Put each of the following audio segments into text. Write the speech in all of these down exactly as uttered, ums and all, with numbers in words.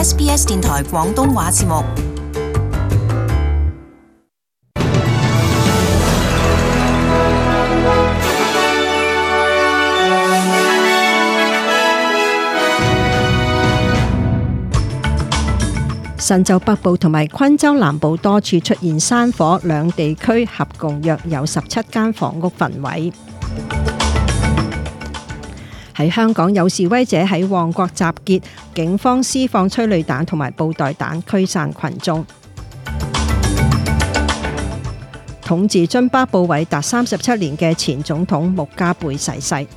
S B S 電台廣東話節目。新州北部同埋昆州南部多處出現山火，兩地區合共約有十七間房屋焚毀。喺香港有示威者喺旺角集結，警方施放催淚彈同埋布袋彈驅散群眾。統治津巴布韋達三十七年嘅前總統穆加貝逝世。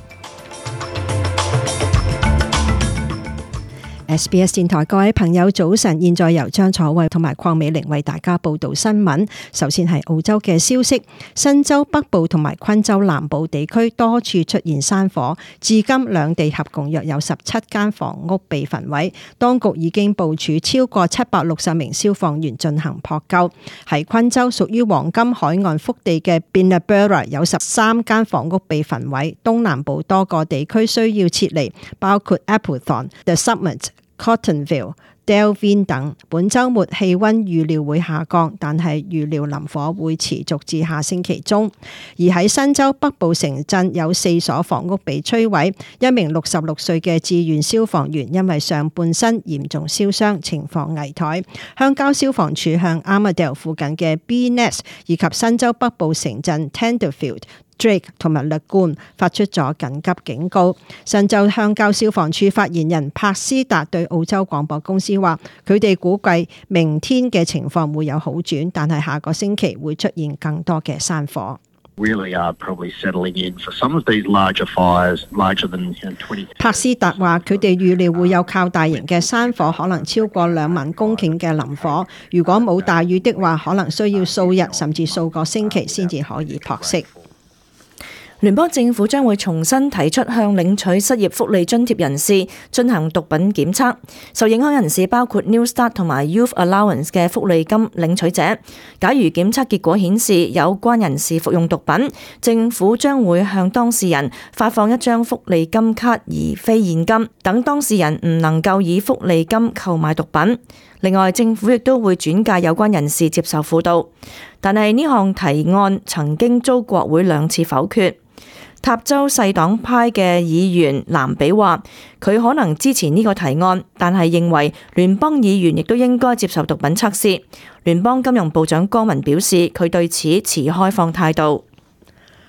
S B S 電台各位朋友早晨，現在由張楚慧同埋鄺美玲為大家報道新聞。首先係澳洲嘅消息，新州北部同埋昆州南部地區多處出現山火，至今兩地合共約有十七間房屋被焚毀，當局已經部署超過七百六十名消防員進行撲救。喺昆州屬於黃金海岸腹地嘅 Binnaburra 有十三間房屋被焚毀，東南部多個地區需要撤離，包括 Applethorne、The Summit、Cottonville、Delvin 等。本週末氣溫預料會下降，但係預料林火會持續至下星期中。而喺新州北部城鎮有四所房屋被摧毀，一名六十六歲嘅志願消防員因為上半身嚴重燒傷，情況危殆。鄉郊消防處向 Armadale 附近嘅 B-Nest 以及新州北部城鎮 Tenterfield、Drake 同埋 Lagoon 發出咗緊急警告。新州鄉郊消防處發言人柏斯達對澳洲廣播公司話，佢哋估計明天嘅情況會有好轉，但係下個星期會出現更多嘅山火。Really are probably settling in for some of these larger fires, larger than twenty. 柏斯達話：佢哋預料會有較大型嘅山火，可能超過兩萬公頃嘅林火。如果冇大雨的話，可能需要數日甚至數個星期先至可以撲熄。聯邦政府將會重新提出向領取失業福利津貼人士進行毒品檢測，受影響人士包括 New Start 同埋 Youth Allowance 嘅福利金領取者。假如檢測結果顯示有關人士服用毒品，政府將會向當事人發放一張福利金卡而非現金，等當事人唔能夠以福利金購買毒品。另外，政府亦都會轉介有關人士接受輔導，但係呢項提案曾經遭國會兩次否決。塔州細黨派嘅議員藍比話，佢可能支持呢個提案，但係認為聯邦議員亦都應該接受毒品測試。聯邦金融部長江文表示，佢對此持開放態度。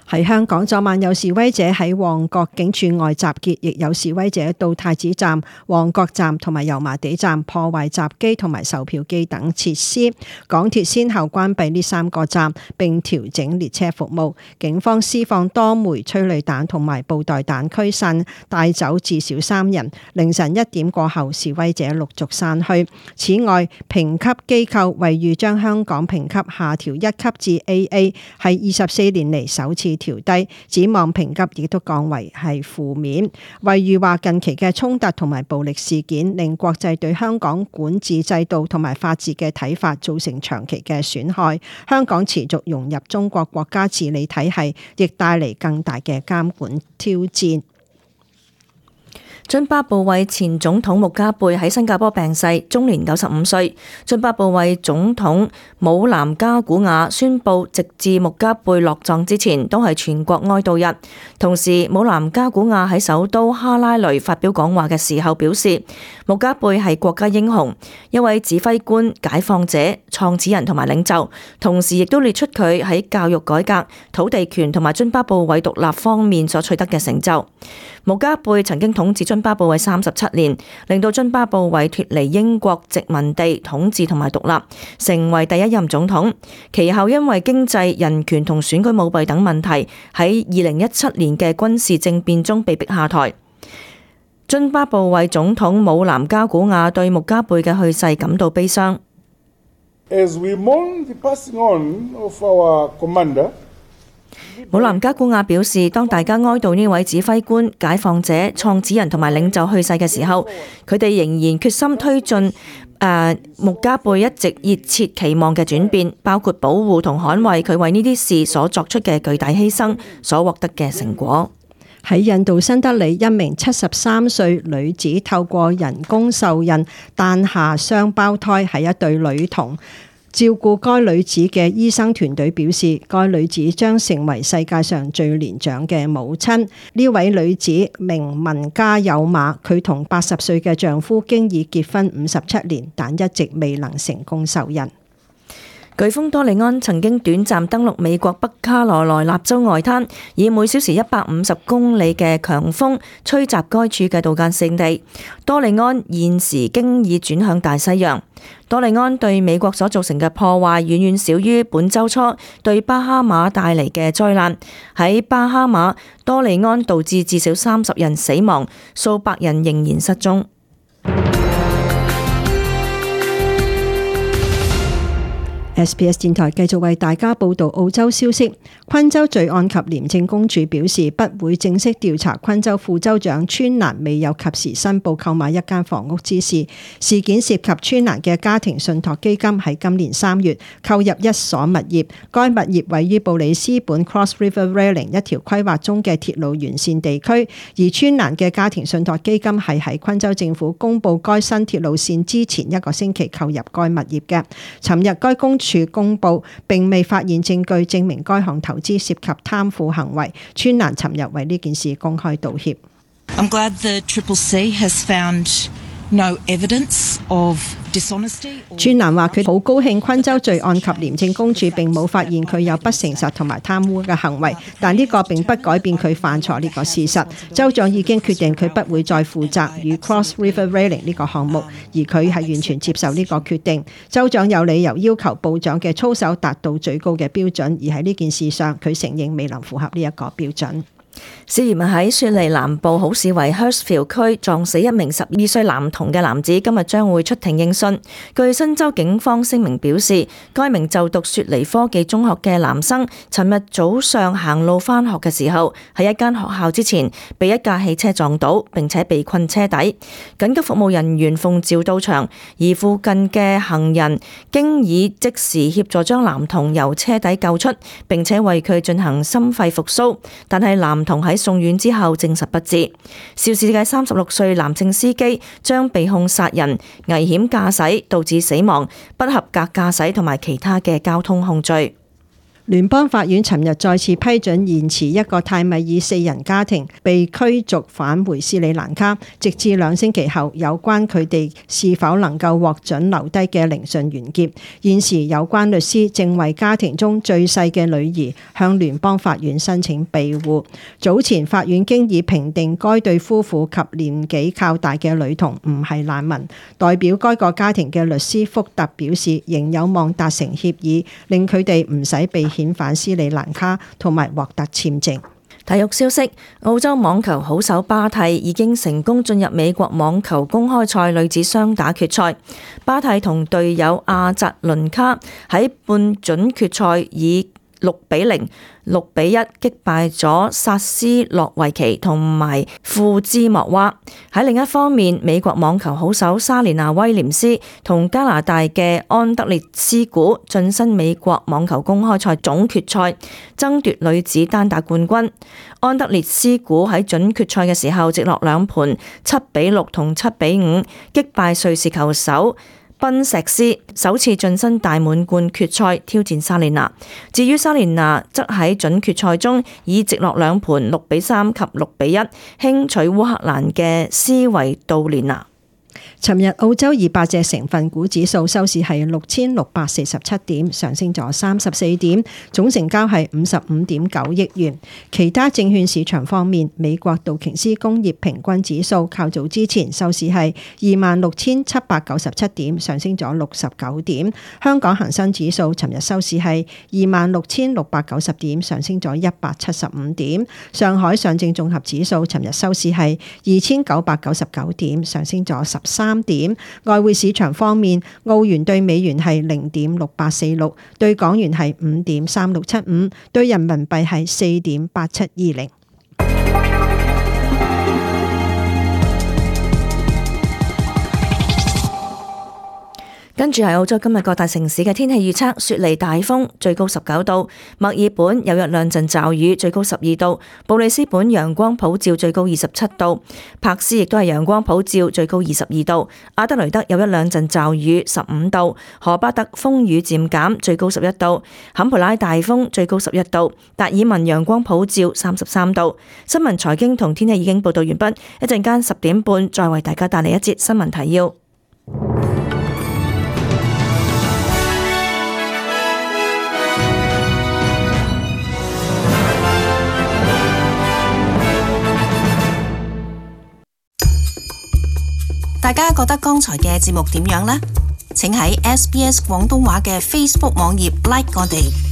喺香港，昨晚有示威者喺旺角警署外集結，亦有示威者到太子站、旺角站同埋油麻地站破壞閘機同埋售票機等設施。港鐵先後關閉呢三個站，並調整列車服務。警方施放多枚催淚彈同埋布袋彈驅散，帶走至少三人。凌晨一點過後，示威者陸續散去。此外，評級機構惠譽將香港評級下調一級至 A A， 係二十四年嚟首次調低，展望評級亦都降為係負面。惠譽話近期嘅衝突同埋暴力事件令國際對香港管治制度同埋法治嘅睇法造成長期嘅損害。香港持續融入中國國家治理體系，亦帶嚟更大嘅監管挑戰。津巴布韋前總統穆加貝喺新加坡病逝，終年九十五歲。津巴布韋總統姆南加古瓦宣布，直至穆加貝落葬之前都係全國哀悼日。同時，姆南加古瓦喺首都哈拉雷發表講話嘅時候表示，穆加貝係國家英雄，一位指揮官、解放者、創始人同埋領袖。同時亦都列出佢喺教育改革、土地權同埋津巴布韋獨立方面所取得嘅成就。穆加貝曾經統治津巴布韋三十七年，令到津巴布韋脫離英國殖民地統治同埋獨立，成為第一任總統。其後因為經濟、人權同選舉舞弊等問題，喺二零一七年嘅軍事政變中被逼下台。津巴布韋總統姆南加古瓦對穆加貝嘅去世感到悲傷。As we mourn the passing on of our commander,姆南加古瓦表示，當大家哀悼呢位指揮官、解放者、創始人同埋領袖去世嘅時候，佢哋仍然決心推進誒穆加貝一直熱切期望嘅轉變，包括保護同捍衛佢為呢啲事所作出嘅巨大犧牲所獲得嘅成果。喺印度新德里，一名七十三歲女子透過人工受孕誕下雙胞胎，係一對女童。照顧該女子嘅醫生團隊表示，該女子將成為世界上最年長嘅母親。呢位女子名文家有馬，佢同八十歲嘅丈夫經已結婚五十七年，但一直未能成功受孕。颶風多利安曾經短暫登陸美國北卡羅來納州外灘，以每小時一百五十公里嘅強風吹襲該處嘅度假勝地。多利安現時經已轉向大西洋。多利安對美國所造成嘅破壞遠遠少於本週初對巴哈馬帶嚟嘅災難。喺巴哈馬，多利安導致至少三十人死亡，數百人仍然失蹤。S B S 電台繼續為大家報道澳洲消息。昆州罪案及廉政公署表示，不會正式調查昆州副州長川蘭未有及時申報購買一間房屋之事。事件涉及川蘭嘅家庭信託基金喺今年三月購入一所物業，該物業位於布里斯本 Cross River Railing 一條規劃中嘅鐵路沿線地區，而川蘭嘅家庭信託基金係喺昆州政府公布該新鐵路線之前一個星期購入該物業嘅。尋日該公署公布並未發現證據證明該項投資涉及貪腐行為。川蘭尋日為呢件事公開道歉。I'm glad the Triple C has found no evidence of dishonesty. 川蘭話佢好高興昆州罪案及廉政公署並冇發現佢有不誠實同埋貪污嘅行為，但呢個並不改變佢犯錯呢個事實。州長已經決定佢不會再負責與 Cross River Railing 呢個項目，而佢係完全接受呢個決定。州長有理由要求部長嘅操守達到最高嘅標準，而喺呢件事上佢承認未能符合呢一個標準。涉嫌喺雪梨南部好市圍 Hurstville 區撞死一名十二歲男童嘅男子，今日將會出庭應訊。據新州警方聲明表示，該名就讀雪梨科技中學嘅男生，尋日早上行路返學嘅時候，喺一間學校之前被一架汽車撞倒，並且被困車底。緊急服務人員奉召到場，而附近嘅行人經已即時協助將男童由車底救出，並且為佢進行心肺復甦，但係男童喺送院之後證實不治。肇事嘅三十六歲男性司機將被控殺人、危險駕駛導致死亡、不合格駕駛同埋其他嘅交通控罪。聯邦法院尋日再次批准延遲一個泰米爾四人家庭被驅逐返回斯里蘭卡，直至兩星期後有關佢哋是否能夠獲准留低嘅聆訊完結。現時有關律師正為家庭中最細嘅女兒向聯邦法院申請庇護。早前法院經已評定該對夫婦及年紀較大嘅女童唔係難民。代表該個家庭嘅律師福特表示，仍有望達成協議，令佢哋唔使被遣返斯里蘭卡同埋獲得簽證。體育消息：澳洲網球好手巴蒂已經成功進入美國網球公開賽女子雙打決賽。巴蒂同隊友阿扎倫卡喺半準決賽以六比零、六比一擊敗咗薩斯洛維奇同埋庫茲莫娃。喺另一方面，美國網球好手莎蓮娜威廉斯同加拿大嘅安德烈斯古晉身美國網球公開賽總決賽，爭奪女子單打冠軍。安德烈斯古喺準決賽嘅時候直落兩盤七比六同七比五擊敗瑞士球手賓石斯，首次晉身大滿貫決賽挑戰莎蓮娜。至於莎蓮娜則喺準決賽中以直落兩盤六比三及六比一輕取烏克蘭嘅斯維杜連娜。尋日澳洲二百隻成分股指數收市係六千六百四十七點，上升咗三十四點，總成交係五十五點九億元。其他證券市場方面，美國道瓊斯工業平均指數較早之前收市係二萬六千七百九十七點，上升咗六十九點。香港恒生指數尋日收市係二萬六千六百九十點，上升咗一百七十五點。上海上證綜合指數尋日收市係二千九百九十九點，上升咗十三點。外匯市場方面，澳元對美元係零點六八四六，對港元係五點三六七五，對人民幣係四點八七二零。跟住係澳洲今日各大城市嘅天氣預測：雪梨大風，最高十九度；墨爾本有一兩陣驟雨，最高十二度；布里斯本陽光普照，最高二十七度；柏斯亦都係陽光普照，最高二十二度；阿德雷德有一兩陣驟雨，十五度；荷巴特風雨漸減，最高十一度；坎培拉大風，最高十一度；達爾文陽光普照，三十三度。新聞財經同天氣已經報道完畢，一陣間十點半再為大家帶嚟一節新聞提要。大家覺得剛才嘅節目點樣呢？請喺 S B S 廣東話嘅 Facebook 網頁 like 我哋。